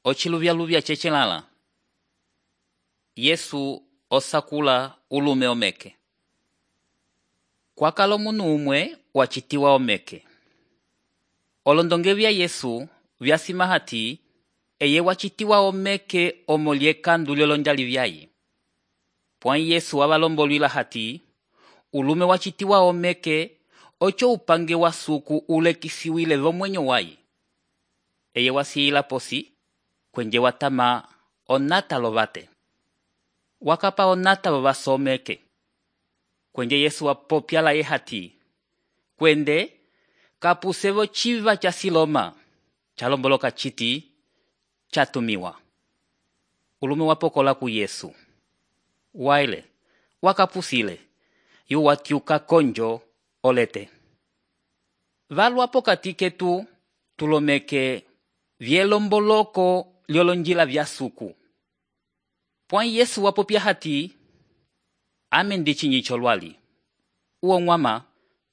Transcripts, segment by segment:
Ociluvyaluvya cecelala. Yesu osakula ulume omeke. Kwakala omunu umwe wacitiwa omeke. Olondonge vya Yesu vyasima hati eye wacitiwa omeke omo lyekandu lyolonjali vyaye. Pwai Yesu wabalombolwila hati ulume wacitiwa omeke ocho upange wa suku ulekisiwile vomwenyo waye. Eye wasiyila posi kwenje watama onata lovate. Wakapa onata vovasomeke. Kwenje Yesu wapopyala ye hati kwende kapusevo chiva cha Siloma chalomboloka chiti chatumiwa. Ulume wapokola ku Yesu. Waile wakapusile yu watiuka konjo olete. Valu apokati ketu tulomeke vyelomboloko lyolonjila vya suku. Pwai Yesu wapopya hati ame ndichinyi cholwali. Uo mwama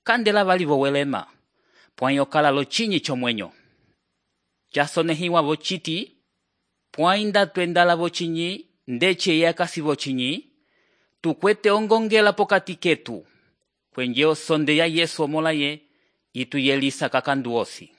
kandela vali vowelema. Pwai okala lo chinyi chomwenyo. Chasonehiwa vochiti pwai ndatwendala vochinyi ndeche yakasi vochinyi tukwete ongongela pokati ketu. Kwenje osonde ya Yesu omolaye itu yelisa kakandu osi.